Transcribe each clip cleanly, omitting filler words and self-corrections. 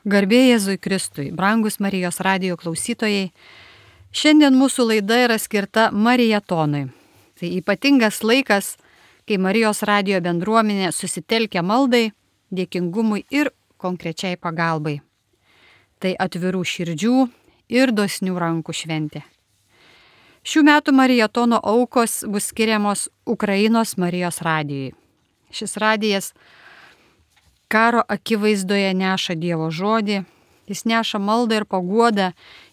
Garbė Jėzui Kristui, brangus Marijos radijo klausytojai, šiandien mūsų laida yra skirta Marijatonui. Tai ypatingas laikas, kai Marijos radijo bendruomenė susitelkia maldai, dėkingumui ir konkrečiai pagalbai. Tai atvirų širdžių ir dosnių rankų šventė. Šių metų Marijatono aukos bus skiriamos Ukrainos Marijos radijui. Šis radijas karo akivaizdoje neša Dievo žodį, jis neša maldą ir paguodą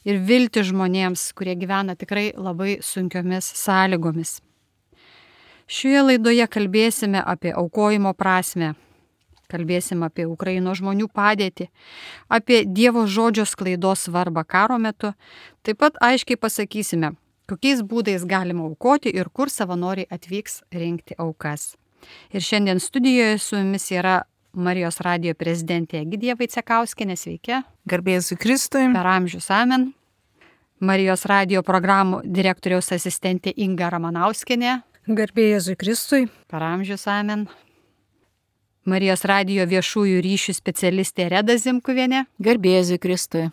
ir viltį žmonėms, kurie gyvena tikrai labai sunkiomis sąlygomis. Šioje laidoje kalbėsime apie aukojimo prasmę, kalbėsime apie Ukrainos žmonių padėtį, apie Dievo žodžio sklaidos svarbą karo metu, taip pat aiškiai pasakysime, kokiais būdais galima aukoti ir kur savanoriai atvyks rinkti aukas. Ir šiandien studijoje su jumis yra Marijos radijo prezidentė Egidija Vaicekauskienė, sveiki. Garbė Jėzui Kristui. Per amžius amen. Marijos radijo programų direktoriaus asistentė Inga Ramanauskienė. Garbė Jėzui Kristui. Per amžius amen. Marijos radijo viešųjų ryšių specialistė Reda Zimkuvienė. Garbė Jėzui Kristui.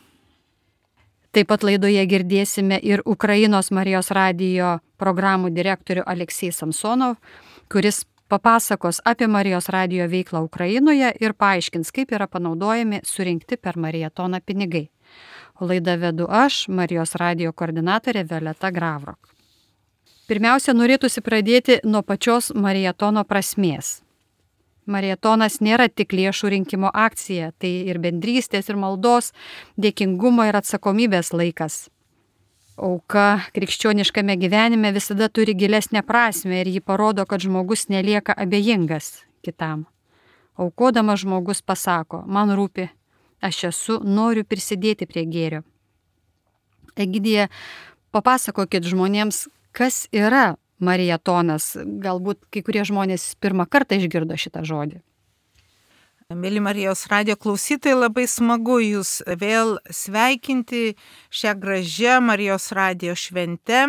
Taip pat laidoje girdėsime ir Ukrainos Marijos radijo programų direktorių Aleksej Samsonov, kuris papasakos apie Marijos radijo veiklą Ukrainoje ir paaiškins, kaip yra panaudojami surinkti per Marijatoną pinigai. O laidą vedu aš, Marijos radijo koordinatorė Violeta Gravrok. Pirmiausia, norėtųsi pradėti nuo pačios Marijatono prasmės. Marijatonas nėra tik lėšų rinkimo akcija, tai ir bendrystės, ir maldos, dėkingumo ir atsakomybės laikas. Auka krikščioniškame gyvenime visada turi gilesnę prasmę ir ji parodo, kad žmogus nelieka abejingas kitam. Aukodamas žmogus pasako, man rūpi, aš esu, noriu prisidėti prie gėrio. Egidija, papasakokit žmonėms, kas yra Marijatonas. Galbūt kai kurie žmonės pirmą kartą išgirdo šitą žodį. Mėly Marijos radijo klausytojai, labai smagu jūs vėl sveikinti šią gražią Marijos radijo šventę.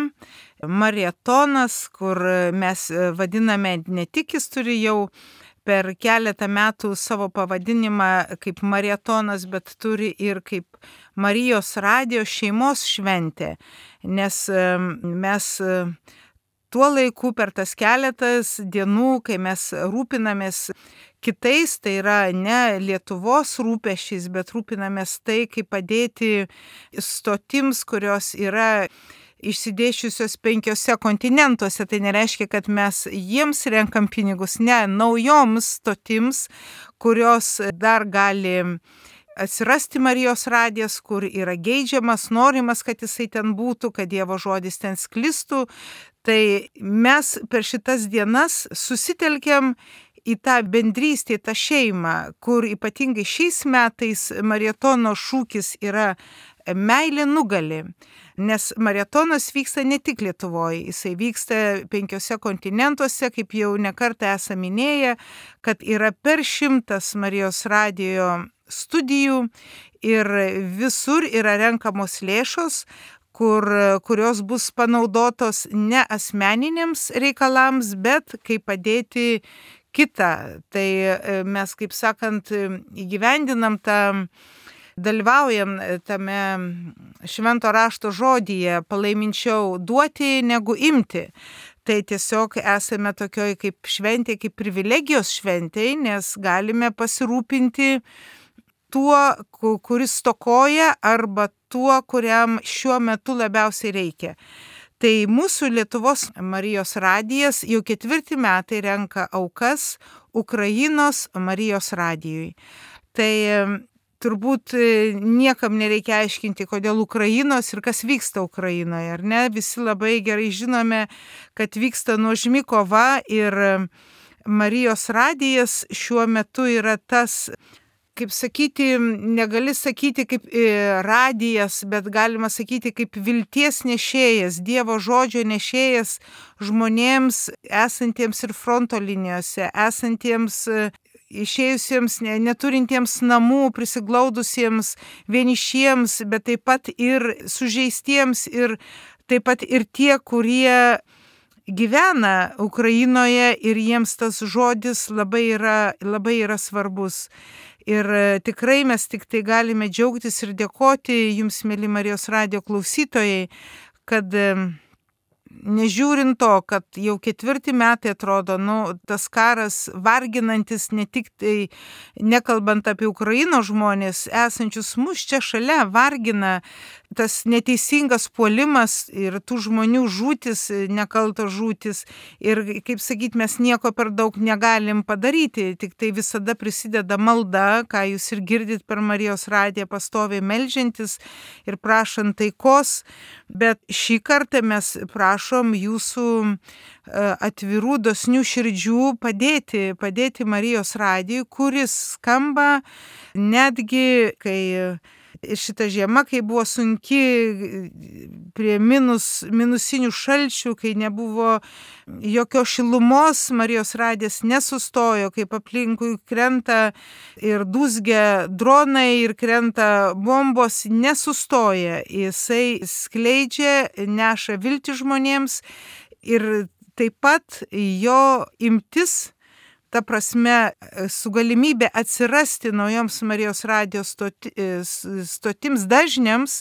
Marijatonas, kur mes vadiname ne tik, jis turi jau per keletą metų savo pavadinimą kaip Marijatonas, bet turi ir kaip Marijos radijo šeimos šventė, nes mes tuo laiku per tas keletas dienų, kai mes rūpinamės kitais, tai yra ne Lietuvos rūpesčiais, bet rūpinamės tai, kaip padėti stotims, kurios yra išsidėsčiusios 5 kontinentuose. Tai nereiškia, kad mes jiems renkam pinigus, ne, naujoms stotims, kurios dar gali atsirasti Marijos radijas, kur yra geidžiamas, norimas, kad jisai ten būtų, kad Dievo žodis ten sklistų. Tai mes per šitas dienas susitelkiam į tą bendrystę, į tą šeimą, kur ypatingai šiais metais Marijatono šūkis yra meilė nugali. Nes Marijatonas vyksta ne tik Lietuvoje, jisai vyksta 5 kontinentuose, kaip jau nekartą esame minėję, kad yra per 100 Marijos radijo studijų ir visur yra renkamos lėšos, kurios bus panaudotos ne asmeniniams reikalams, bet kaip padėti kitą. Tai mes, kaip sakant, įgyvendinam dalyvaujam tame švento rašto žodyje, palaiminčiau duoti negu imti. Tai tiesiog esame tokioj kaip šventė, kaip privilegijos šventėj, nes galime pasirūpinti tuo, kuris stokoja, arba tuo, kuriam šiuo metu labiausiai reikia. Tai mūsų Lietuvos Marijos radijas jau 4 metai renka aukas Ukrainos Marijos radijui. Tai turbūt niekam nereikia aiškinti, kodėl Ukrainos ir kas vyksta Ukrainoje, ar ne? Visi labai gerai žinome, kad vyksta nuožmi kova ir Marijos radijas šiuo metu yra tas, kaip sakyti, negali sakyti kaip radijas, bet galima sakyti kaip vilties nešėjas, Dievo žodžio nešėjas žmonėms esantiems ir fronto linijose, esantiems išėjusiems, neturintiems namų, prisiglaudusiems, vienišiems, bet taip pat ir sužeistiems ir taip pat ir tie, kurie gyvena Ukrainoje ir jiems tas žodis labai yra svarbus. Ir tikrai mes tik tai galime džiaugtis ir dėkoti jums, mėly Marijos radijo klausytojai, kad nežiūrint to, kad jau 4 metai atrodo, tas karas varginantis, ne tik tai nekalbant apie Ukrainos žmonės, esančius mus čia šalia, vargina tas neteisingas puolimas ir tų žmonių žūtis, nekaltos žūtis. Ir, kaip sakyt, mes nieko per daug negalim padaryti, tik tai visada prisideda malda, ką jūs ir girdit per Marijos radiją, pastoviai meldžiantis ir prašant taikos. Bet šį kartą mes prašom jūsų atvirų, dosnių širdžių padėti Marijos radijui, kuris skamba netgi, kai šita žiema, kai buvo sunki, prie minusinių šalčių, kai nebuvo jokios šilumos, Marijos radijas nesustojo, kaip aplinkui krenta ir dūzgia dronai ir krenta bombos, nesustoja. Jisai skleidžia, neša viltį žmonėms ir taip pat jo imtis, ta prasme, su galimybė atsirasti naujoms Marijos radijos stotims dažniams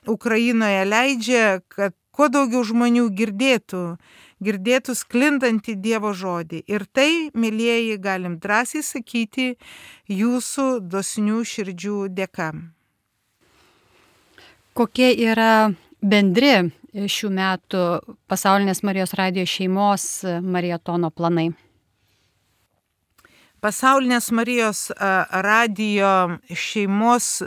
Ukrainoje leidžia, kad kuo daugiau žmonių girdėtų sklindantį Dievo žodį. Ir tai, mėlyjeji, galim drąsiai sakyti, jūsų dosnių širdžių dėka. Kokie yra bendri šių metų pasaulinės Marijos radijo šeimos marietono planai? Pasaulinės Marijos radijo šeimos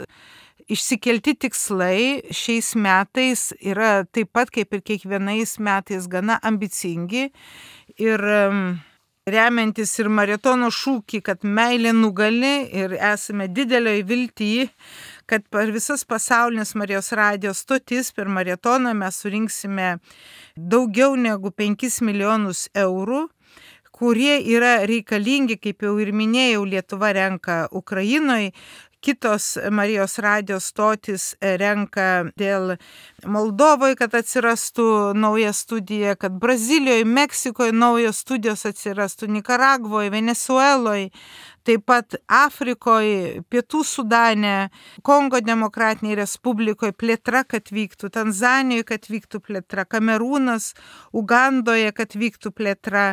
išsikelti tikslai šiais metais yra taip pat kaip ir kiekvienais metais gana ambicingi ir remiantis ir marietono šūkį, kad meilė nugali, ir esame didelioje viltyje, kad per visas pasaulinės Marijos radijos stotis per marietoną mes surinksime daugiau negu 5 milijonus eurų, kurie yra reikalingi, kaip jau ir minėjau, Lietuva renka Ukrainoje, kitos Marijos radijos stotis renka dėl Moldovoje, kad atsirastų nauja studija, kad Brazilijoje, Meksikoje naujos studijos atsirastų, Nikaragvoje, Venezueloje, taip pat Afrikoje, Pietų Sudane, Kongo Demokratinėje Respublikoje plėtra, kad vyktų, Tanzanijoje, kad vyktų plėtra, Kamerūnas, Ugandoje, kad vyktų plėtra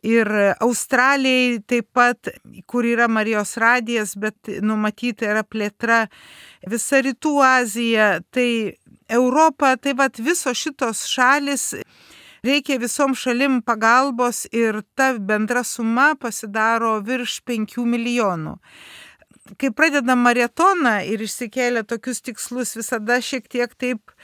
ir Australijai taip pat, kur yra Marijos radijas, bet numatyta yra plėtra, visa Rytų Azija, tai Europa, tai vat visos šitos šalis. Reikia visom šalim pagalbos ir ta bendra suma pasidaro virš 5 milijonų. Kai pradedam marietoną ir išsikėlę tokius tikslus, visada šiek tiek taip,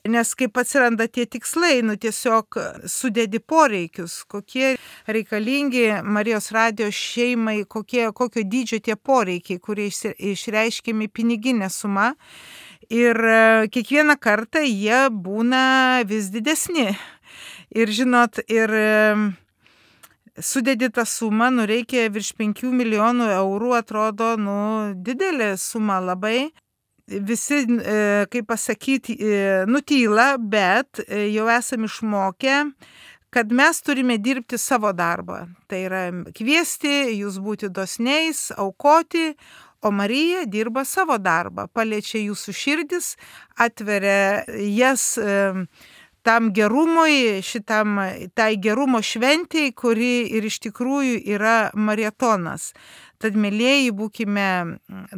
nes kaip atsiranda tie tikslai, tiesiog sudedi poreikius, kokie reikalingi Marijos radijos šeimai, kokio dydžio tie poreikiai, kurie išreiškiami piniginė suma. Ir kiekvieną kartą jie būna vis didesni. Ir žinot, ir sudedi tą sumą, reikia virš 5 milijonų eurų, atrodo, didelė suma labai. Visi, kaip pasakyti, nutyla, bet jau esame išmokę, kad mes turime dirbti savo darbą. Tai yra kviesti jūs būti dosniais, aukoti, o Marija dirba savo darbą, paliečia jūsų širdis, atveria jas tam gerumui, tai gerumo šventėjai, kuri ir iš tikrųjų yra marietonas. Tad, mėlyjeji, būkime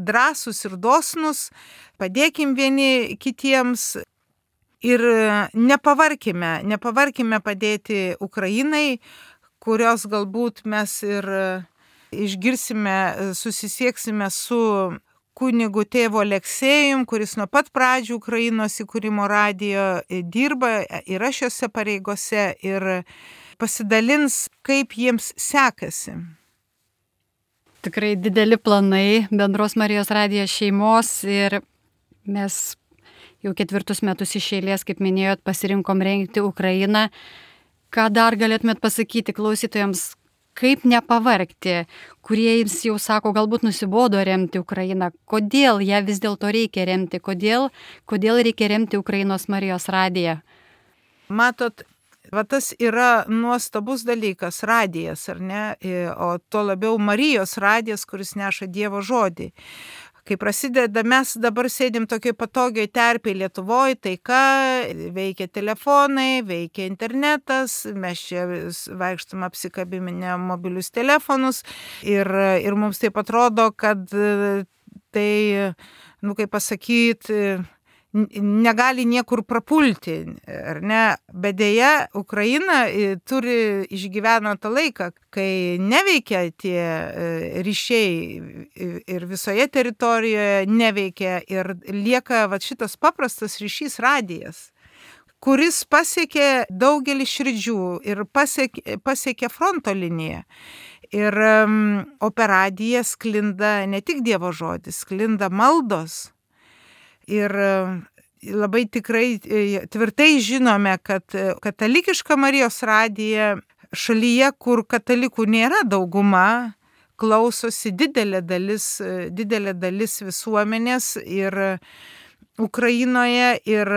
drąsūs ir dosnus, padėkim vieni kitiems ir nepavarkime padėti Ukrainai, kurios galbūt mes ir išgirsime, susisieksime su kunigu tėvu Aleksejum, kuris nuo pat pradžių Ukrainos įkūrimo radijo dirba, yra šiose pareigose ir pasidalins, kaip jiems sekasi. Tikrai dideli planai bendros Marijos radijos šeimos ir mes jau 4 metus iš eilės, kaip minėjot, pasirinkom rengti Ukrainą. Ką dar galėtumėt pasakyti klausytojams? Kaip nepavargti, kurie jums jau sako, galbūt nusibodo remti Ukrainą, kodėl ją vis dėlto reikia remti, kodėl reikia remti Ukrainos Marijos radiją? Matot, Va tas yra nuostabus dalykas, radijas, ar ne, o tuo labiau Marijos radijas, kuris neša Dievo žodį. Kai prasideda, mes dabar sėdim tokioj patogioj terpėj Lietuvoje, taika, veikia telefonai, veikia internetas, mes čia vaikštam apsikabiminę mobilius telefonus ir mums taip atrodo, kad tai, kaip pasakyti, negali niekur prapulti, ar ne? Bet deja, Ukraina išgyveno tą laiką, kai neveikia tie ryšiai ir visoje teritorijoje neveikia ir lieka šitas paprastas ryšys radijas, kuris pasiekė daugelį širdžių ir pasiekė fronto liniją. Ir o per radiją sklinda ne tik Dievo žodis, sklinda maldos. Ir labai tikrai tvirtai žinome, kad katalikiška Marijos radija šalyje, kur katalikų nėra dauguma, klausosi didelė dalis visuomenės ir Ukrainoje ir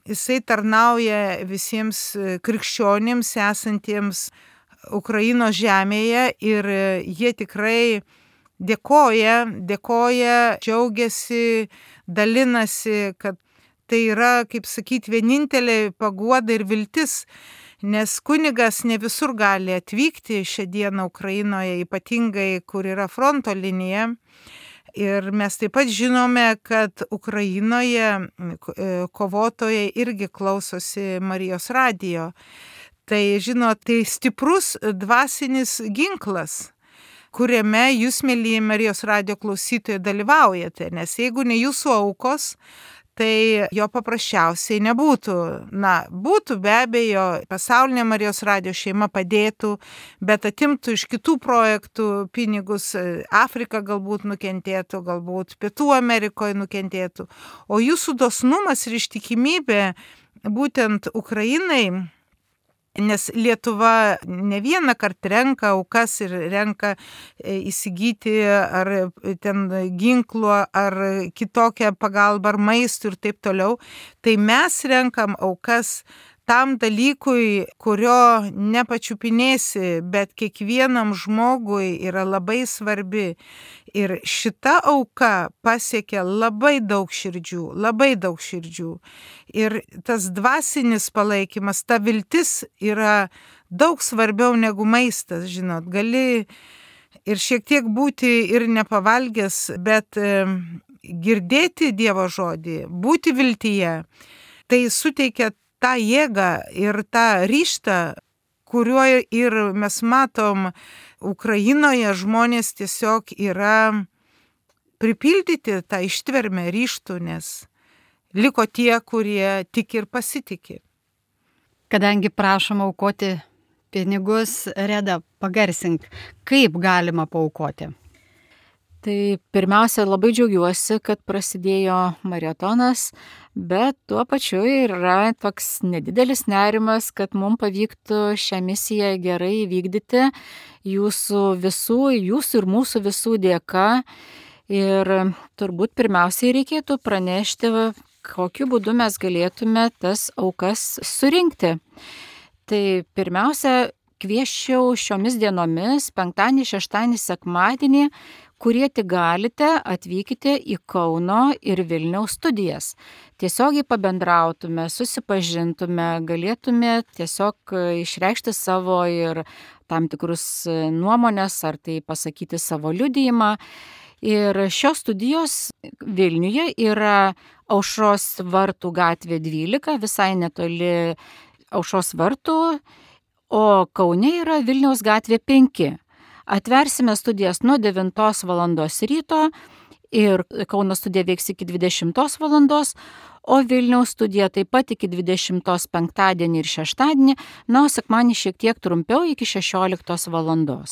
jisai tarnauja visiems krikščionims esantiems Ukrainos žemėje ir jie tikrai dėkoja, džiaugiasi, dalinasi, kad tai yra, kaip sakyti, vienintelė paguoda ir viltis, nes kunigas ne visur gali atvykti šią dieną Ukrainoje, ypatingai, kur yra fronto linija. Ir mes taip pat žinome, kad Ukrainoje kovotojai irgi klausosi Marijos radijo. Tai, tai stiprus dvasinis ginklas, kuriame jūs, mėlyje Marijos radijo klausytojai, dalyvaujate, nes jeigu ne jūsų aukos, tai jo paprasčiausiai nebūtų. Būtų be abejo, pasaulinė Marijos radijo šeima padėtų, bet atimtų iš kitų projektų pinigus, Afrika galbūt nukentėtų, galbūt Pietų Amerikoje nukentėtų. O jūsų dosnumas ir ištikimybė būtent Ukrainai, nes Lietuva ne vieną kartą renka aukas ir renka įsigyti ar ten ginklų, ar kitokią pagalbą, ar maistų ir taip toliau, tai mes renkam aukas tam dalykui, kurio nepačiupinėsi, bet kiekvienam žmogui yra labai svarbi. Ir šita auka pasiekia labai daug širdžių. Ir tas dvasinis palaikymas, ta viltis yra daug svarbiau negu maistas, žinot. Gali ir šiek tiek būti ir nepavalgęs, bet girdėti Dievo žodį, būti viltyje, tai suteikia tą jėgą ir tą ryžtą, kuriuo ir mes matom Ukrainoje žmonės tiesiog yra pripildyti tą ištvermę ryžtų, nes liko tie, kurie tiki ir pasitiki. Kadangi prašom aukoti pinigus, Reda, pagarsink, kaip galima paaukoti? Tai pirmiausia, labai džiaugiuosi, kad prasidėjo maratonas, bet tuo pačiu yra toks nedidelis nerimas, kad mums pavyktų šią misiją gerai įvykdyti jūsų ir mūsų visų dėka. Ir turbūt pirmiausiai reikėtų pranešti, kokiu būdu mes galėtume tas aukas surinkti. Tai pirmiausia, kviesčiau šiomis dienomis, penktadienį, šeštadienį, sekmadienį, kurie tik galite, atvykite į Kauno ir Vilniaus studijas. Tiesiogiai pabendrautume, susipažintume, galėtume tiesiog išreikšti savo ir tam tikrus nuomonės, ar tai pasakyti savo liudijimą. Ir šios studijos Vilniuje yra Aušros vartų gatvė 12, visai netoli Aušros vartų, o Kaune yra Vilniaus gatvė 5. Atversime studijas nuo 9 val. Ryto ir Kauno studija veiks iki 20 val. O Vilniaus studija taip pat iki 20 penktadienį ir šeštadienį, o sekmadienį šiek tiek trumpiau iki 16 val.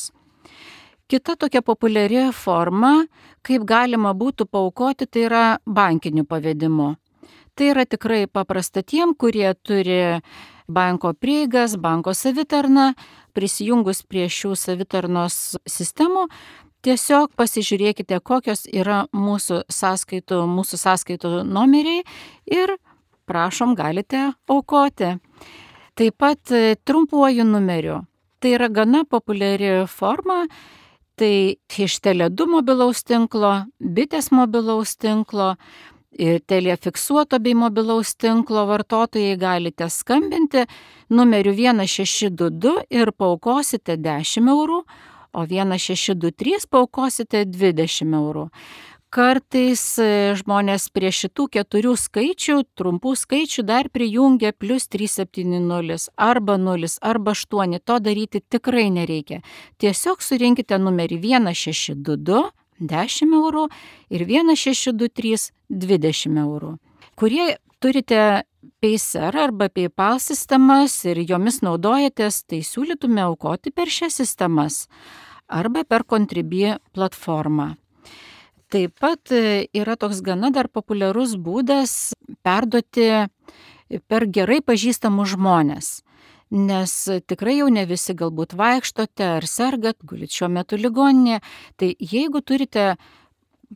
Kita tokia populiari forma, kaip galima būtų paaukoti, tai yra bankiniu pavedimu. Tai yra tikrai paprasta tiem, kurie turi banko prieigas, banko savitarną. Prisijungus prie šių savitarnos sistemų, tiesiog pasižiūrėkite, kokios yra mūsų sąskaitų numeriai ir prašom, galite aukoti. Taip pat trumpuoju numeriu. Tai yra gana populiari forma. Tai iš Tele2 mobilaus tinklo, Bitės mobilaus tinklo, Telia fiksuoto bei mobilaus tinklo vartotojai galite skambinti numeriu 1622 ir paaukosite 10 eurų, o 1623 paaukosite 20 eurų. Kartais žmonės prie šitų 4 skaičių, trumpų skaičių dar prijungia +370 arba 0 arba 8. To daryti tikrai nereikia. Tiesiog surinkite numerį 1622, 10 eurų ir 1623, 20 eurų. Kurie turite Paysr arba PayPal sistemas ir jomis naudojatės, tai siūlytume aukoti per šias sistemas arba per Contribui platformą. Taip pat yra toks gana dar populiarus būdas perduoti per gerai pažįstamus žmonės, nes tikrai jau ne visi galbūt vaikštote ar sergat, gulit šiuo metu ligoninėje, tai jeigu turite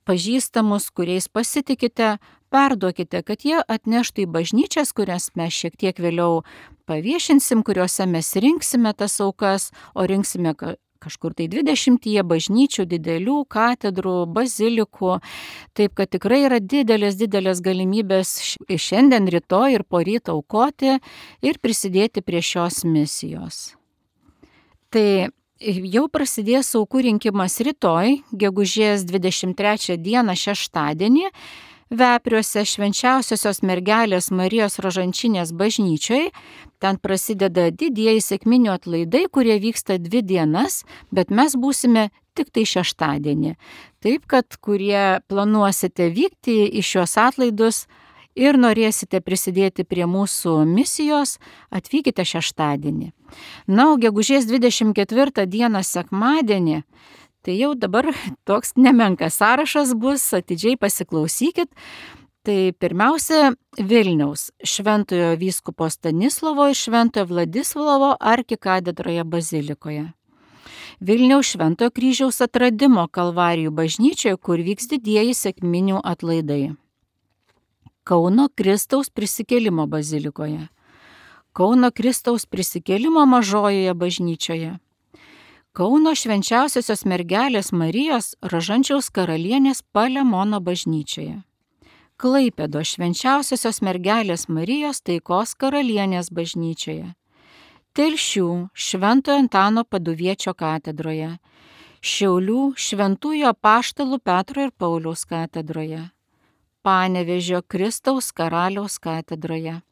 pažįstamus, kuriais pasitikite, perduokite, kad jie atneštų į bažnyčias, kurias mes šiek tiek vėliau paviešinsim, kuriuose mes rinksime tas aukas, o rinksime kažkur tai 20 bažnyčių, didelių katedrų, bazilikų. Taip, kad tikrai yra didelės galimybės šiandien, rytoj ir poryt aukoti ir prisidėti prie šios misijos. Tai jau prasidės aukų rinkimas rytoj, gegužės 23 dieną šeštadienį, Vepriuose Švenčiausiosios mergelės Marijos Rožančinės bažnyčioje. Ten prasideda didieji sekminių atlaidai, kurie vyksta 2 dienas, bet mes būsime tik tai šeštadienį. Taip, kad kurie planuosite vykti į šios atlaidus ir norėsite prisidėti prie mūsų misijos, atvykite šeštadienį. Na, o gegužės 24 dieną sekmadienį, tai jau dabar toks nemenkas sąrašas bus, atidžiai pasiklausykit. Tai pirmiausia, Vilniaus Šventojo vyskupo Stanislovo ir Šventojo Vladislovo arkikatedroje bazilikoje. Vilniaus Šventojo kryžiaus atradimo Kalvarijų bažnyčioje, kur vyks didieji sekminių atlaidai. Kauno Kristaus prisikėlimo bazilikoje. Kauno Kristaus prisikėlimo mažojoje bažnyčioje. Kauno Švenčiausiosios mergelės Marijos Rožančiaus karalienės Palemono bažnyčioje. Klaipėdo Švenčiausiosios mergelės Marijos Taikos karalienės bažnyčioje. Telšių Šventojo Antano Paduviečio katedroje. Šiaulių Šventųjų apaštalų Petro ir Pauliaus katedroje. Panevėžio Kristaus karaliaus katedroje.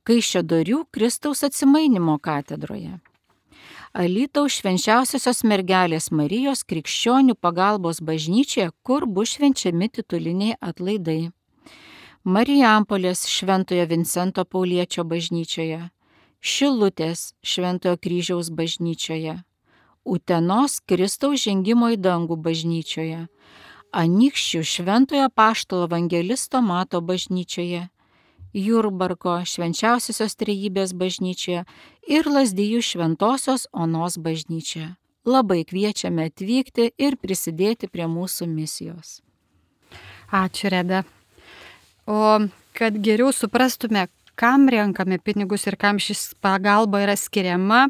Kaišiadorių Kristaus atsimainymo katedroje. Alytaus Švenčiausiosios mergelės Marijos krikščionių pagalbos bažnyčioje, kur bus švenčiami tituliniai atlaidai. Marijampolės Šventojo Vincento Pauliečio bažnyčioje. Šilutės Šventojo kryžiaus bažnyčioje. Utenos Kristaus žengimo į dangų bažnyčioje. Anykščių Šventojo apaštalo evangelisto Mato bažnyčioje. Jurbarko Švenčiausiosios Trejybės bažnyčioje ir Lazdijų Šventosios Onos bažnyčioje. Labai kviečiame atvykti ir prisidėti prie mūsų misijos. Ačiū, Reda. O kad geriau suprastume, kam renkame pinigus ir kam šis pagalba yra skiriama,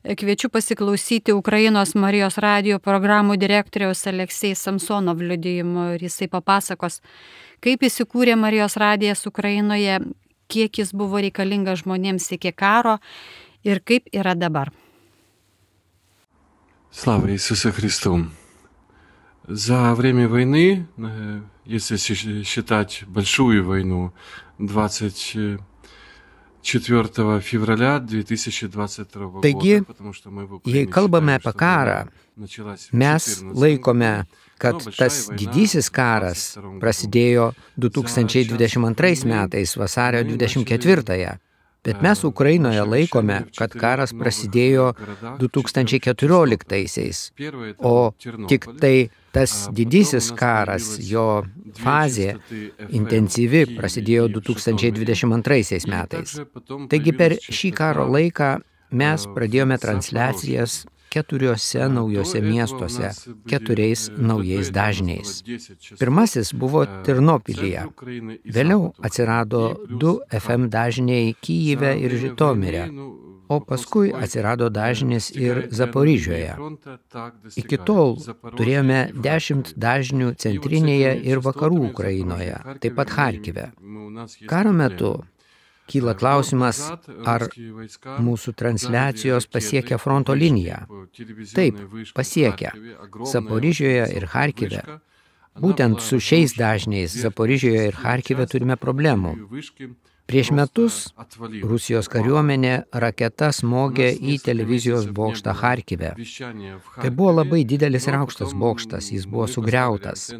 kviečiu pasiklausyti Ukrainos Marijos radijo programų direktoriaus Aleksej Samsonov liudijimo ir jisai papasakos, kaip įsikūrė Marijos radijas Ukrainoje, kiek jis buvo reikalingas žmonėms iki karo ir kaip yra dabar. Слава Иисусу Христу! За время войны, если считать большую войну, 24 февраля 2022 года, Taigi, jei kalbame apie karą, mes laikome, kad tas didysis karas prasidėjo 2022 metais vasario 24-ąją, bet mes Ukrainoje laikome, kad karas prasidėjo 2014-aisiais, o tik tai tas didysis karas, jo fazė intensyvi prasidėjo 2022 metais. Taigi per šį karo laiką mes pradėjome transliacijas 4 naujose miestuose, 4 naujais dažniais. Pirmasis buvo Ternopilyje. Vėliau atsirado 2 FM dažniai Kyjive ir Žitomire, o paskui atsirado dažnis ir Zaporižioje. Iki tol turėjome 10 dažnių centrinėje ir vakarų Ukrainoje, taip pat Charkive. Karo metu kyla klausimas, ar mūsų transliacijos pasiekia fronto liniją. Taip, pasiekia. Zaporižioje ir Charkive. Būtent su šiais dažniais Zaporižioje ir Charkive turime problemų. Prieš metus Rusijos kariuomenė raketa smogė į televizijos bokštą Charkive. Tai buvo labai didelis ir aukštas bokštas, jis buvo sugriautas.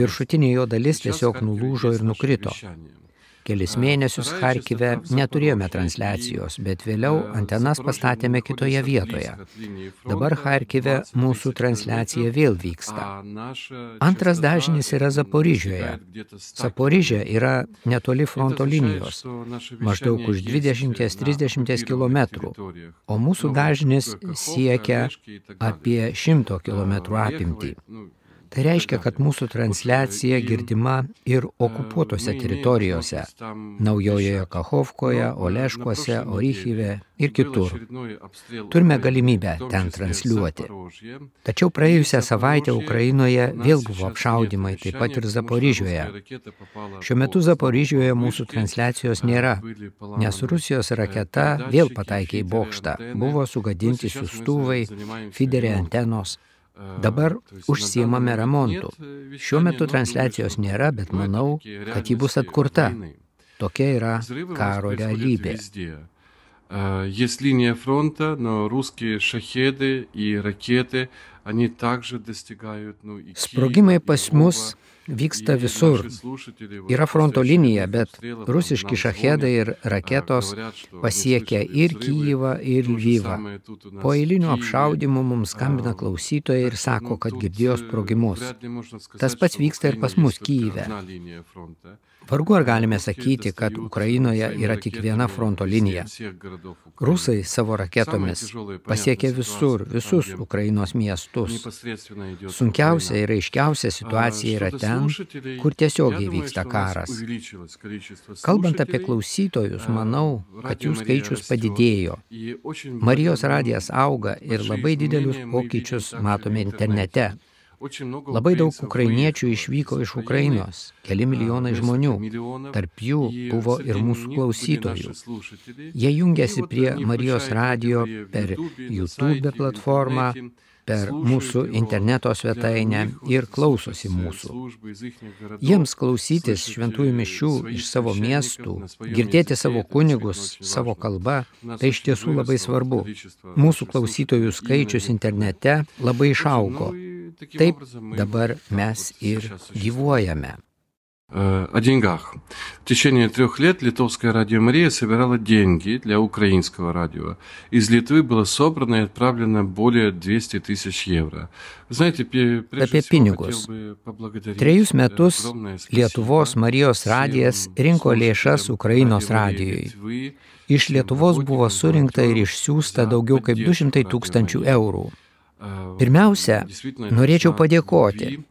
Viršutinė jo dalis tiesiog nulūžo ir nukrito. Kelis mėnesius Charkive neturėjome transliacijos, bet vėliau antenas pastatėme kitoje vietoje. Dabar Charkive mūsų transliacija vėl vyksta. Antras dažnis yra Zaporižioje. Zaporižė yra netoli fronto linijos, maždaug už 20-30 km, o mūsų dažnis siekia apie 100 km apimtį. Tai reiškia, kad mūsų transliacija girdima ir okupuotose teritorijose – Naujojoje Kachovkoje, Oleškuose, Orychive ir kitur. Turime galimybę ten transliuoti. Tačiau praėjusią savaitę Ukrainoje vėl buvo apšaudymai, taip pat ir Zaporižioje. Šiuo metu Zaporižioje mūsų transliacijos nėra, nes Rusijos raketa vėl pataikė į bokštą. Buvo sugadinti siųstuvai, fiderė antenos. Dabar užsiimame remontu. Šiuo metu transliacijos nėra, bet manau, kad ji bus atkurta. Tokia yra karo realybė. Есть линия фронта, но русские шахеды и ракеты, они также достигают, Sprogimai pas mus vyksta visur. Yra fronto linija, bet rusiški šachedai ir raketos pasiekia ir Kyjivą, ir Lvivą. Po eilinių apšaudymų mums skambina klausytojai ir sako, kad girdėjo sprogimus. Tas pats vyksta ir pas mus Kyjive. Vargu ar galime sakyti, kad Ukrainoje yra tik viena fronto linija. Rusai savo raketomis pasiekia visur, visus Ukrainos miestus. Sunkiausia ir aiškiausia situacija yra ten, kur tiesiogiai vyksta karas. Kalbant apie klausytojus, manau, kad jų skaičius padidėjo. Marijos radijas auga ir labai didelius pokyčius matome internete. Labai daug ukrainiečių išvyko iš Ukrainos, keli milijonai žmonių, tarp jų buvo ir mūsų klausytojų. Jie jungiasi prie Marijos radijo per YouTube platformą, per mūsų interneto svetainę ir klausosi mūsų. Jiems klausytis šventųjų mišių iš savo miestų, girdėti savo kunigus, savo kalbą, tai iš tiesų labai svarbu. Mūsų klausytojų skaičius internete labai išaugo. Taip dabar mes ir gyvuojame. О деньгах. В течение 3 лет Литовское радио Мария собирало деньги для украинского радио. Из Литвы было собрано и отправлено более 200 тысяч евро. Знаете, Apie pinigus. 3 metus Lietuvos Marijos radijas rinko lėšas Ukrainos radijui. Iš Lietuvos buvo surinkta ir išsiųsta daugiau kaip 200 000 eurų. Pirmiausia, norėčiau padėkoti.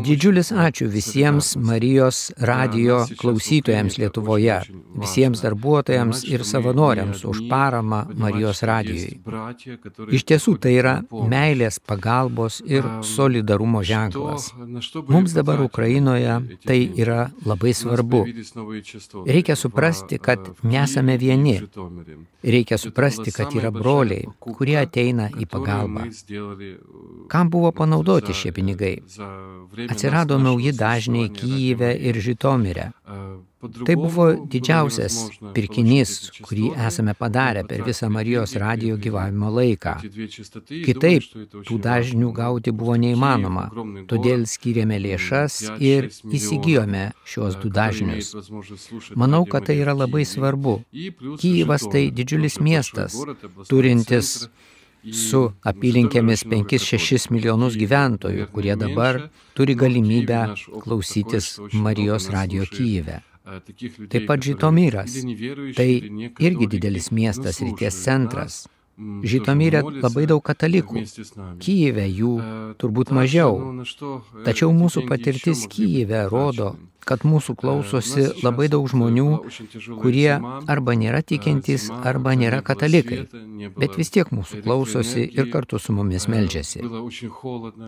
Didžiulis ačiū visiems Marijos radijo klausytojams Lietuvoje, visiems darbuotojams ir savanoriams už paramą Marijos radijui. Iš tiesų tai yra meilės, pagalbos ir solidarumo ženklas. Mums dabar Ukrainoje tai yra labai svarbu. Reikia suprasti, kad nesame vieni. Reikia suprasti, kad yra broliai, kurie ateina į pagalbą. Kam buvo panaudoti šie pinigai? Atsirado nauji dažniai Kyjive ir Žitomire. Tai buvo didžiausias pirkinys, kurį esame padarę per visą Marijos radijo gyvavimo laiką. Kitaip, tų dažnių gauti buvo neįmanoma, todėl skyrėme lėšas ir įsigijome šios 2 dažnius. Manau, kad tai yra labai svarbu. Kyjivas tai didžiulis miestas, turintis su apylinkėmis 5-6 milijonus gyventojų, kurie dabar turi galimybę klausytis Marijos radijo Kyjive. Taip pat Žitomiras, tai irgi didelis miestas, ryties centras. Žitomyrė labai daug katalikų. Kyjive jų turbūt mažiau. Tačiau mūsų patirtis Kyjive rodo, kad mūsų klausosi labai daug žmonių, kurie arba nėra tikintys, arba nėra katalikai. Bet vis tiek mūsų klausosi ir kartu su mumis meldžiasi.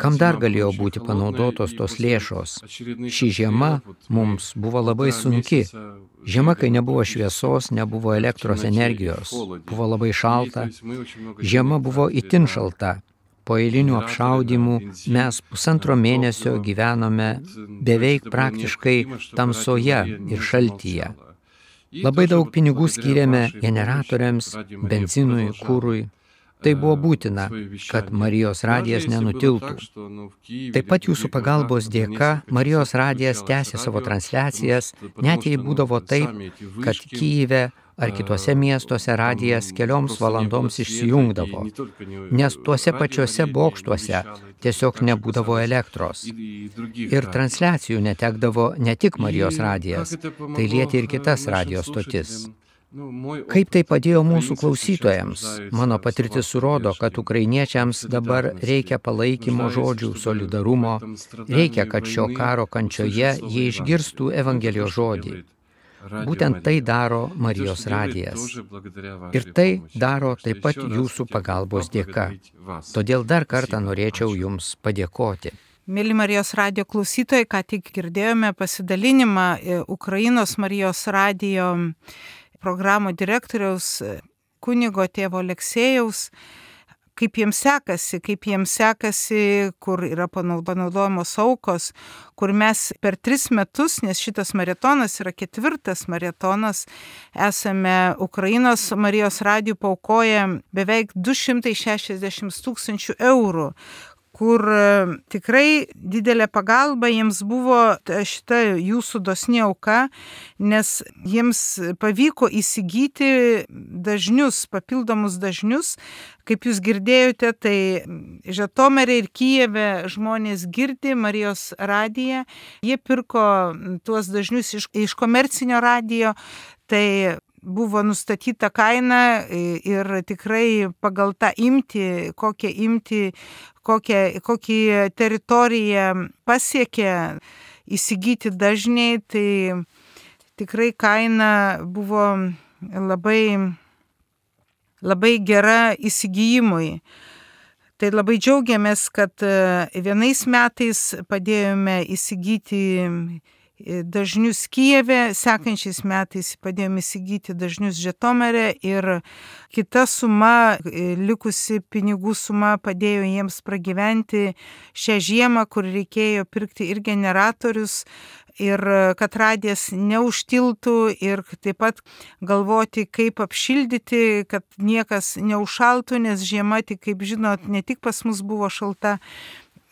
Kam dar galėjo būti panaudotos tos lėšos? Ši žiema mums buvo labai sunki. Žiema, kai nebuvo šviesos, nebuvo elektros energijos, buvo labai šalta. Žiema buvo itin šalta. Po eilinių apšaudymų mes 1,5 mėnesio gyvenome beveik praktiškai tamsoje ir šaltyje. Labai daug pinigų skyrėme generatoriams, benzinui, kurui. Tai buvo būtina, kad Marijos radijas nenutiltų. Taip pat jūsų pagalbos dėka Marijos radijas tęsė savo transliacijas, net jei būdavo taip, kad Kyjive ar kitose miestuose radijas kelioms valandoms išsijungdavo, nes tuose pačiuose bokštuose tiesiog nebūdavo elektros. Ir transliacijų netekdavo ne tik Marijos radijas, tai lietė ir kitas radijo stotis. Kaip tai padėjo mūsų klausytojams? Mano patirtis rodo, kad ukrainiečiams dabar reikia palaikymo žodžių, solidarumo, reikia, kad šio karo kančioje jie išgirstų Evangelijos žodį. Būtent tai daro Marijos radijas. Ir tai daro taip pat jūsų pagalbos dėka. Todėl dar kartą norėčiau jums padėkoti. Mėly Marijos radijo klausytojai, ką tik girdėjome pasidalinimą Ukrainos Marijos radijo programų direktoriaus kunigo tėvo Aleksėjaus, kaip jiems sekasi, kur yra panaudojamos aukos, kur mes per 3 metus, nes šitas maratonas yra 4. maratonas, esame Ukrainos Marijos radijų paaukoję beveik 260 000 eurų, kur tikrai didelė pagalba jiems buvo šita jūsų dosni auka, nes jiems pavyko įsigyti dažnius, papildomus dažnius. Kaip jūs girdėjote, tai Žitomirė ir Kyjive žmonės girdi Marijos radiją, jie pirko tuos dažnius iš komercinio radijo, tai buvo nustatyta kaina ir tikrai pagal tą imtį, kokį teritoriją pasiekė įsigyti dažniai, tai tikrai kaina buvo labai gera įsigijimui. Tai labai džiaugiamės, kad vienais metais padėjome įsigyti dažnius Kyjive, sekančiais metais padėjome įsigyti dažnius Žitomirė ir kita suma, likusi pinigų suma padėjo jiems pragyventi šią žiemą, kur reikėjo pirkti ir generatorius, ir kad radijas neužtiltų ir taip pat galvoti, kaip apšildyti, kad niekas neužšaltų, nes žiema, tik kaip žinot, ne tik pas mus buvo šalta,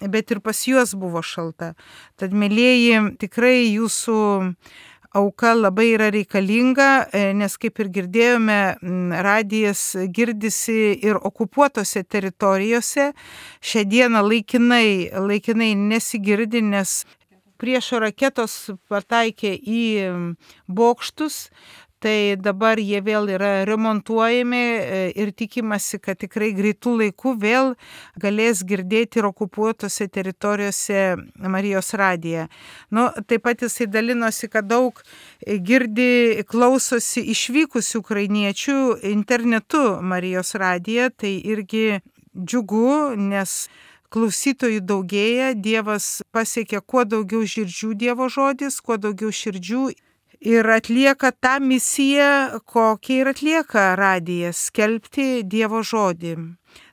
bet ir pas juos buvo šalta. Tad, mėlieji, tikrai jūsų auka labai yra reikalinga, nes kaip ir girdėjome, radijas girdisi ir okupuotose teritorijose. Šią dieną laikinai nesigirdi, nes priešo raketos pataikė į bokštus. Tai dabar jie vėl yra remontuojami ir tikimasi, kad tikrai greitų laikų vėl galės girdėti ir okupuotose teritorijose Marijos radiją. Taip pat jisai dalinosi, kad daug klausosi išvykusių ukrainiečių internetu Marijos radiją, tai irgi džiugu, nes klausytojų daugėja, Dievas pasiekia kuo daugiau širdžių Dievo žodis, kuo daugiau širdžių. Ir atlieka tą misiją, kokią ir atlieka radijas, skelbti Dievo žodį.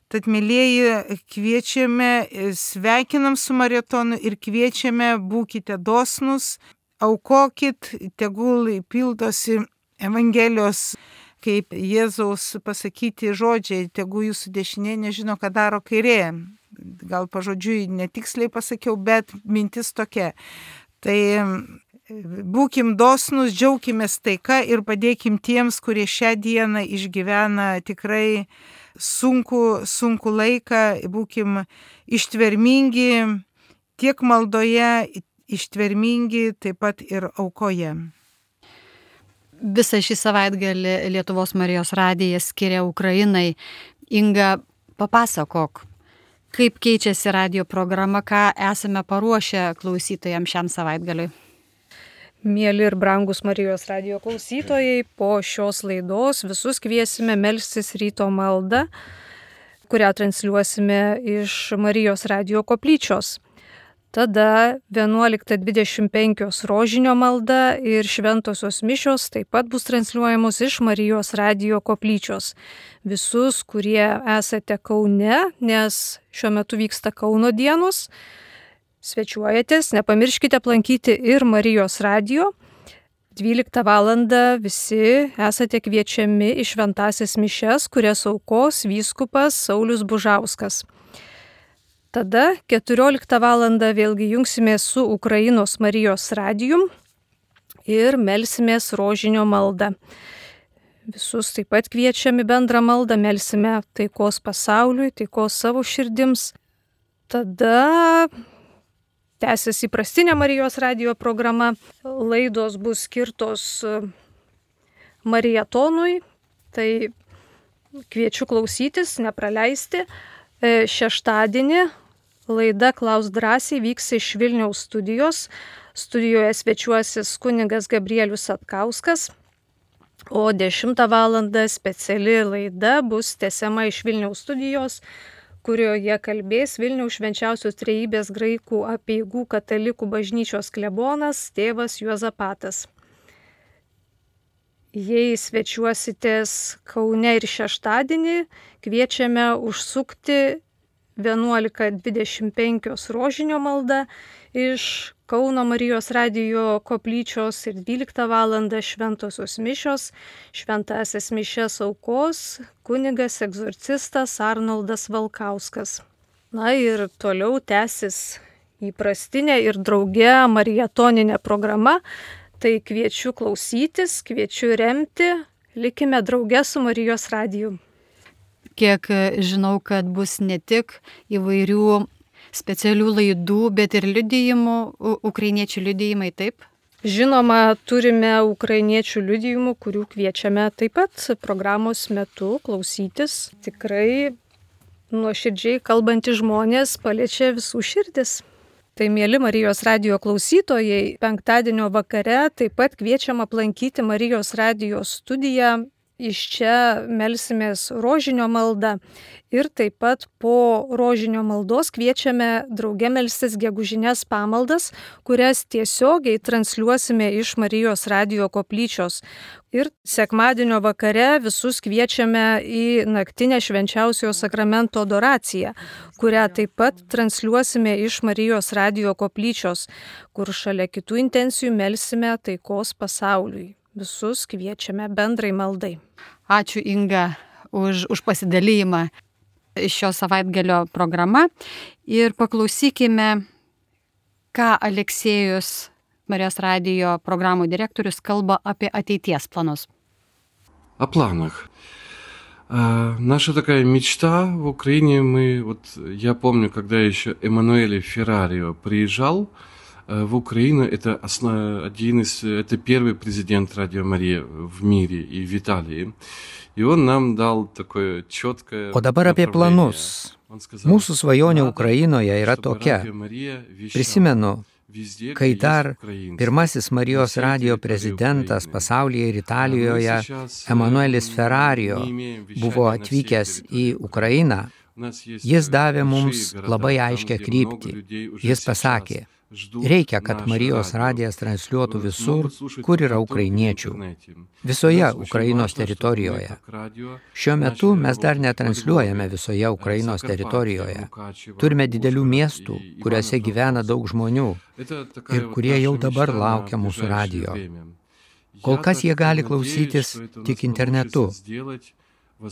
Tad, mėlieji, kviečiame, sveikinam su maratonu ir kviečiame, būkite dosnus, aukokit, tegul pildosi Evangelijos, kaip Jėzaus pasakyti žodžiai, tegul jūsų dešinė nežino, ką daro kairė. Gal pažodžiui netiksliai pasakiau, bet mintis tokia. Tai būkim dosnus, džiaukimės taika ir padėkim tiems, kurie šią dieną išgyvena tikrai sunku laiką, būkim ištvermingi tiek maldoje, ištvermingi taip pat ir aukoje. Visą šį savaitgalį Lietuvos Marijos radijas skiria Ukrainai Inga, papasakok, kaip keičiasi radio programa, ką esame paruošę klausytojams šiam savaitgaliui. Mėly ir brangus Marijos radio klausytojai, po šios laidos visus kviesime melstis ryto maldą, kurią transliuosime iš Marijos radio koplyčios. Tada 11:25 rožinio malda ir šventosios mišios taip pat bus transliuojamos iš Marijos radio koplyčios. Visus, kurie esate Kaune, nes šiuo metu vyksta Kauno dienos, svečiuojatės, nepamirškite aplankyti ir Marijos radio. 12 valandą visi esate kviečiami į šventąsias mišias, kurias aukos vyskupas Saulius Bužauskas. Tada 14 valandą vėlgi jungsimės su Ukrainos Marijos radijum ir melsimės rožinio maldą. Visus taip pat kviečiame bendrą maldą, melsime taikos pasauliui, taikos savo širdims. Tada tęsis įprastinė Marijos radijo programa. Laidos bus skirtos marietonui, tai kviečiu klausytis, nepraleisti. Šeštadienį laida Klausk drąsiai vyks iš Vilniaus studijos. Studijoje svečiuosis kunigas Gabrielius Satkauskas, o 10 valandą speciali laida bus tęsiama iš Vilniaus studijos, kurioje kalbės Vilniaus Švenčiausios Trejybės graikų apeigų katalikų bažnyčios klebonas tėvas Juozapatas. Jei svečiuositės Kaune ir šeštadienį, kviečiame užsukti 11:25 rožinio malda iš Kauno Marijos radijo koplyčios ir 12 valandą šventosios mišios. Šventąsias mišias aukos kunigas egzorcistas Arnoldas Valkauskas. Na ir toliau tęsis įprastinė ir drauge marietoninė programa. Tai kviečiu klausytis, kviečiu remti, likime drauge su Marijos radiju. Kiek žinau, kad bus ne tik įvairių specialių laidų, bet ir liudijimų, ukrainiečių liudijimai, taip? Žinoma, turime ukrainiečių liudijimų, kurių kviečiame taip pat programos metu klausytis. Tikrai nuoširdžiai kalbantys žmonės paliečia visų širdis. Tai mėly Marijos radijo klausytojai, penktadienio vakare taip pat kviečiam aplankyti Marijos radijo studiją. Iš čia melsimės rožinio maldą ir taip pat po rožinio maldos kviečiame drauge melstis gegužinės pamaldas, kurias tiesiogiai transliuosime iš Marijos radijo koplyčios. Ir sekmadienio vakare visus kviečiame į naktinę švenčiausiojo sakramento adoraciją, kurią taip pat transliuosime iš Marijos radijo koplyčios, kur šalia kitų intencijų melsime taikos pasauliui. Visus kviečiame bendrai maldai. Ačiū Inga už pasidalymą šio savaitgalio programa ir paklausykime, ką Aleksėjus, Marijos radijo programų direktorius, kalba apie ateities planus. О планах. Наша такая мечта в Украине, я помню, когда еще Эммануэль Феррарио приезжал в Украину, это первый президент Радио Мария в мире и в Италии. И он нам dal такое четкое. O dabar apie planus. Mūsų svajonė Ukrainoje yra tokia. Prisimenu, kai dar pirmasis Marijos radijo prezidentas pasaulyje ir Italijoje, Emanuelis Ferrario, buvo atvykęs į Ukrainą, jis davė mums labai aiškią kryptį. Jis pasakė, reikia, kad Marijos radijas transliuotų visur, kur yra ukrainiečių, visoje Ukrainos teritorijoje. Šiuo metu mes dar netransliuojame visoje Ukrainos teritorijoje. Turime didelių miestų, kuriuose gyvena daug žmonių ir kurie jau dabar laukia mūsų radijo. Kol kas jie gali klausytis tik internetu.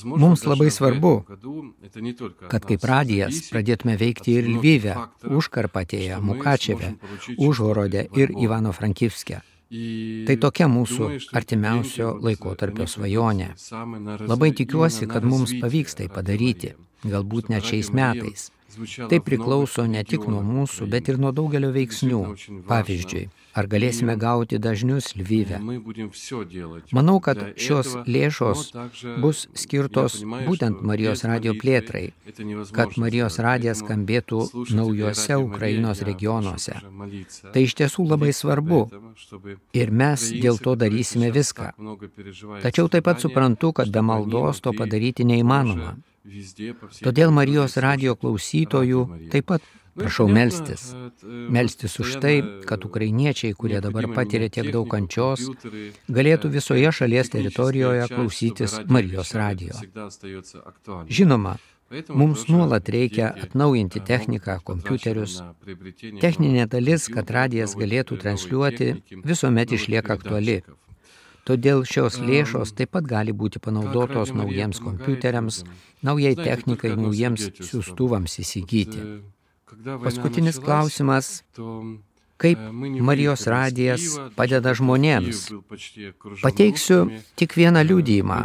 Mums labai svarbu, kad kaip radijas pradėtume veikti ir Lvive, Užkarpatėje, Mukačeve, Užhorode ir Ivano-Frankivske. Tai tokia mūsų artimiausio laikotarpio svajonė. Labai tikiuosi, kad mums pavyks tai padaryti, galbūt net šiais metais. Tai priklauso ne tik nuo mūsų, bet ir nuo daugelio veiksnių. Pavyzdžiui, ar galėsime gauti dažnius Lvive. Manau, kad šios lėšos bus skirtos būtent Marijos radijo plėtrai, kad Marijos radijas skambėtų naujuose Ukrainos regionuose. Tai iš tiesų labai svarbu ir mes dėl to darysime viską. Tačiau taip pat suprantu, kad be maldos to padaryti neįmanoma. Todėl Marijos radijo klausytojų taip pat prašau melstis. Melstis už tai, kad ukrainiečiai, kurie dabar patiria tiek daug kančios, galėtų visoje šalies teritorijoje klausytis Marijos radijo. Žinoma, mums nuolat reikia atnaujinti techniką, kompiuterius. Techninė dalis, kad radijas galėtų transliuoti, visuomet išlieka aktuali. Todėl šios lėšos taip pat gali būti panaudotos naujiems kompiuteriams, naujai technikai, naujiems siųstuvams įsigyti. Paskutinis klausimas, kaip Marijos radijas padeda žmonėms? Pateiksiu tik vieną liudijimą.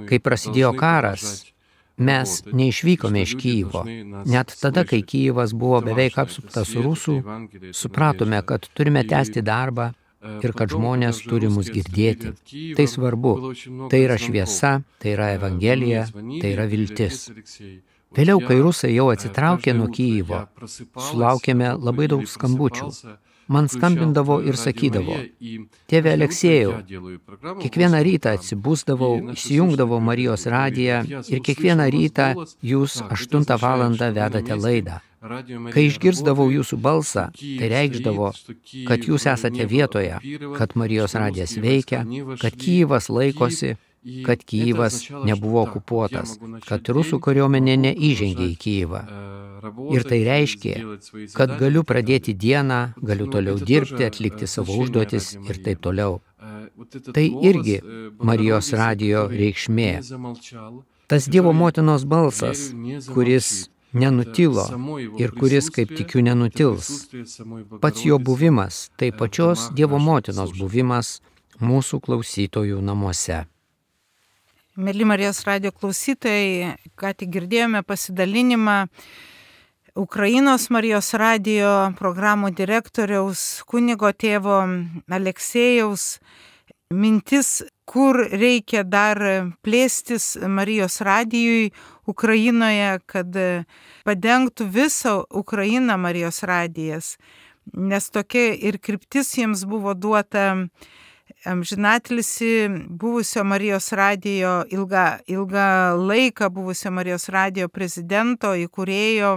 Kai prasidėjo karas, mes neišvykome iš Kyjivo. Net tada, kai Kyjivas buvo beveik apsuptas rusų, supratome, kad turime tęsti darbą ir kad žmonės turi mus girdėti. Tai svarbu. Tai yra šviesa, tai yra evangelija, tai yra viltis. Vėliau, kai rusai jau atsitraukė nuo Kyjivo, sulaukėme labai daug skambučių. Man skambindavo ir sakydavo, tėve Aleksėjau, kiekvieną rytą atsibusdavau, įsijungdavau Marijos radiją ir kiekvieną rytą jūs 8 valandą vedate laidą. Kai išgirsdavau jūsų balsą, tai reikšdavo, kad jūs esate vietoje, kad Marijos radijas veikia, kad Kyjivas laikosi, kad Kyjivas nebuvo okupuotas, kad rusų kariuomenė neįžengė į Kyjivą. Ir tai reiškia, kad galiu pradėti dieną, galiu toliau dirbti, atlikti savo užduotis ir taip toliau. Tai irgi Marijos radijo reikšmė. Tas Dievo motinos balsas, kuris nenutilo ir kuris, kaip tikiu, nenutils. Pats jo buvimas, tai pačios Dievo motinos buvimas mūsų klausytojų namuose. Mėly Marijos radijo klausytojai, ką tik girdėjome pasidalinimą Ukrainos Marijos radijo programų direktoriaus kunigo tėvo Aleksėjaus mintis, kur reikia dar plėstis Marijos radijui Ukrainoje, kad padengtų visą Ukrainą Marijos radijas. Nes tokia ir kryptis jiems buvo duota amžinatilsį buvusio Marijos radijo, ilgą laiką buvusio Marijos radijo prezidento, įkūrėjo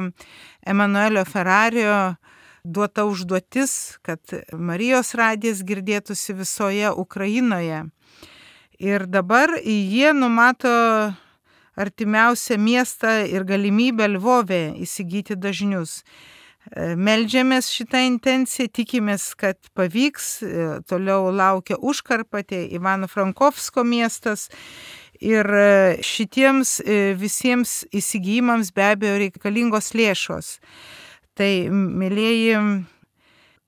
Emanuelio Ferrario duota užduotis, kad Marijos radijas girdėtųsi visoje Ukrainoje. Ir dabar jie numato artimiausią miestą ir galimybę Lvove įsigyti dažnius. Meldžiamės šitą intenciją, tikimės, kad pavyks, toliau laukia Užkarpatė, Ivano-Frankovsko miestas ir šitiems visiems įsigijimams be abejo reikalingos lėšos. Tai, mėlieji,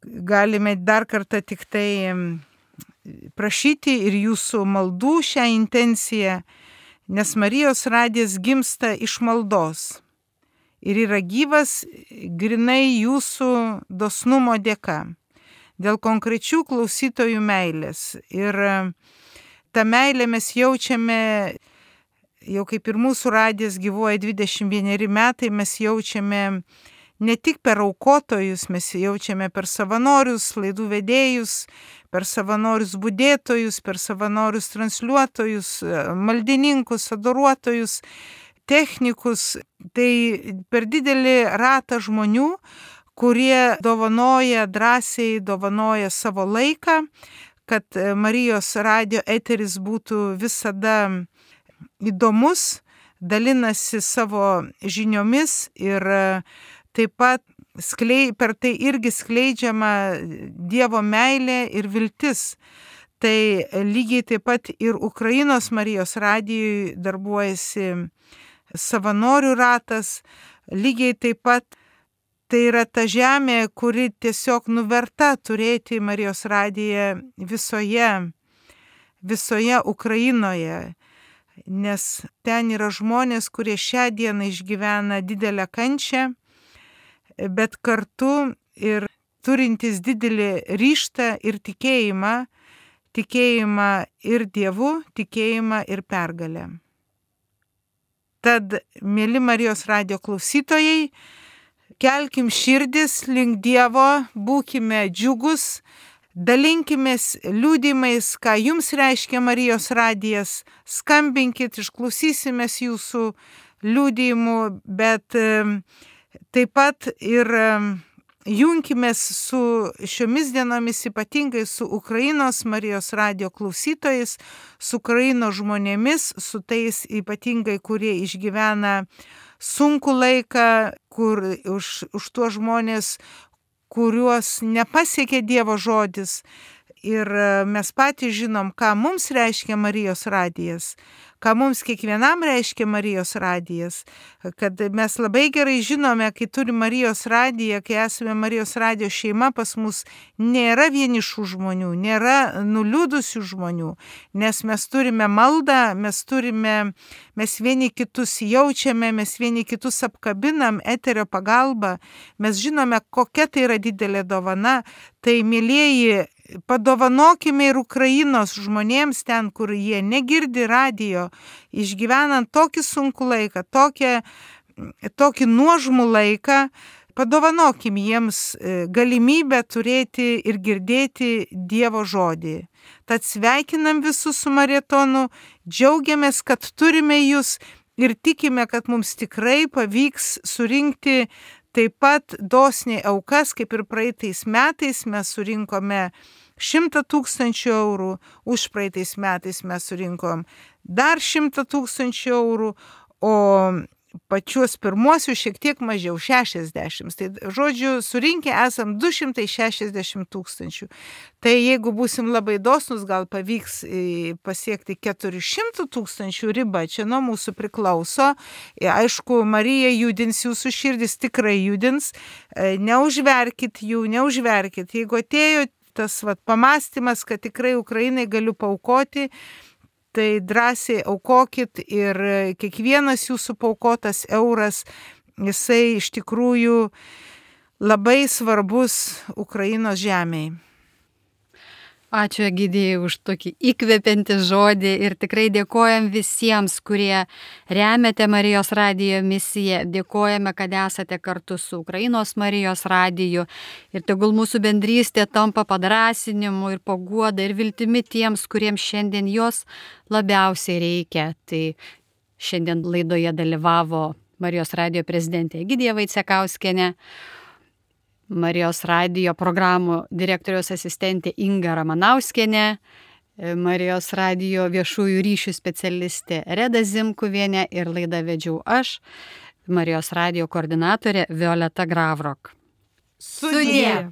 galime dar kartą tik tai prašyti ir jūsų maldų šią intenciją, nes Marijos radijas gimsta iš maldos. Ir yra gyvas grinai jūsų dosnumo dėka, dėl konkrečių klausytojų meilės. Ir tą meilę mes jaučiame, jau kaip ir mūsų radijas gyvuoja 21 metai, mes jaučiame ne tik per aukotojus, mes jaučiame per savanorius, laidų vedėjus, per savanorius budėtojus, per savanorius transliuotojus, maldininkus, adoruotojus, technikus, tai per didelį ratą žmonių, kurie drąsiai dovanoja savo laiką, kad Marijos radijo eteris būtų visada įdomus, dalinasi savo žiniomis ir taip pat per tai irgi skleidžiama Dievo meilė ir viltis. Tai lygiai taip pat ir Ukrainos Marijos radijui darbuojasi savanorių ratas, lygiai taip pat tai yra ta žemė, kuri tiesiog nuverta turėti Marijos radiją visoje Ukrainoje. nes ten yra žmonės, kurie šią dieną išgyvena didelę kančią, bet kartu ir turintis didelį ryžtą ir tikėjimą ir Dievu, tikėjimą ir pergalę. Tad, mėly Marijos radijo klausytojai, kelkim širdis link Dievo, būkime džiugus, dalinkimės liudymais, ką jums reiškia Marijos radijas, skambinkit, išklausysimės jūsų liudymų, bet taip pat ir junkimės su šiomis dienomis, ypatingai su Ukrainos Marijos radijo klausytojais, su Ukrainos žmonėmis, su tais ypatingai, kurie išgyvena sunku laiką, kur už tuos žmonės, kuriuos nepasiekė Dievo žodis. Ir mes patys žinom, ką mums reiškia Marijos radijas, ką mums kiekvienam reiškia Marijos radijas, kad mes labai gerai žinome, kai turime Marijos radiją, kai esame Marijos radijo šeima, pas mus nėra vienišų žmonių, nėra nuliūdusių žmonių, nes mes turime maldą, mes vieni kitus jaučiame, mes vieni kitus apkabinam eterio pagalba, mes žinome, kokia tai yra didelė dovana. Tai, mielieji, padovanokime ir Ukrainos žmonėms ten, kur jie negirdi radijo, išgyvenant tokį sunkų laiką, tokį nuožmų laiką, padovanokim jiems galimybę turėti ir girdėti Dievo žodį. Tad sveikinam visus su maratonu, džiaugiamės, kad turime jūs ir tikime, kad mums tikrai pavyks surinkti taip pat dosniai aukas, kaip ir praeitais metais mes surinkome 100 000 eurų, už praeitais metais mes surinkom dar 100 000 eurų, o pačius pirmuosius šiek tiek mažiau, 60. Tai žodžiu, surinkę esam 260 000. Tai jeigu būsim labai dosnus, gal pavyks pasiekti 400 000 ribą, čia nuo mūsų priklauso. Aišku, Marija judins jūsų širdis, tikrai judins. Neužverkit jų, neužverkit. Jeigu atėjo tas pamąstymas, kad tikrai Ukrainai galiu paaukoti, tai drąsiai aukokit ir kiekvienas jūsų paaukotas euras, jisai iš tikrųjų labai svarbus Ukrainos žemėj. Ačiū, Egidijai, už tokį įkvepiantį žodį ir tikrai dėkojam visiems, kurie remiate Marijos radijo misiją. Dėkojame, kad esate kartu su Ukrainos Marijos radiju ir tegul mūsų bendrystė tampa padrąsinimu ir paguoda ir viltimi tiems, kuriems šiandien jos labiausiai reikia. Tai šiandien laidoje dalyvavo Marijos radijo prezidentė Egidija Vaicekauskienė, Marijos radijo programų direktoriaus asistentė Inga Ramanauskienė, Marijos radijo viešųjų ryšių specialistė Reda Zimkuvienė ir laidą vedžiau aš, Marijos radijo koordinatorė Violeta Gravrok. Sudie!